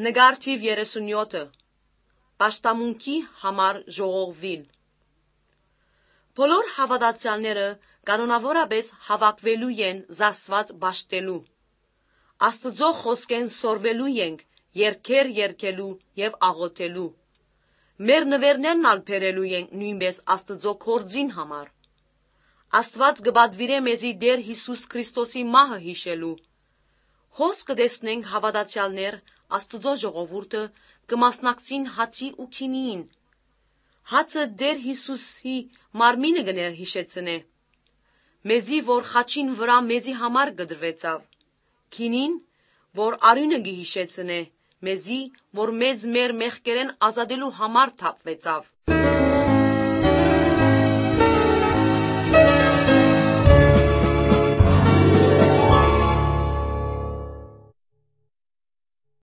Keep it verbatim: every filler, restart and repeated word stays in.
Նկար թիւ երեսունեօթը։ Պաշտամունքի համար ժողովուիլ։ Բոլոր հաւատացեալները կանոնաւորապէս հաւաքուելու են զաստուած պաշտելու։ Աստուծոյ խօսքէն սորվելու ենք երկեր երգելու եւ աղօթելու։ Մեր նուէրներն ալ բերելու ենք նոյնպէս Աստուծոյ գործին համար։ Աստուած կը պատուիրէ մեզի Տէր Յիսուս Քրիստոսի մահը յիշելու։ Հոս կը տեսնենք հաւատացեալներ Աստուծոյ ժողովուրդը կը մասնակցին հացի ու գինիին։ Հացը Տէր Յիսուսի մարմինը կը ներհիշեցնէ մեզի, որ խաչին վրայ մեզի համար կտրուեցաւ, գինին, որ արիւնը կը յիշեցնէ մեզի, որ մեզ մեր մեղքերէն ազատելու համար թափուեցաւ։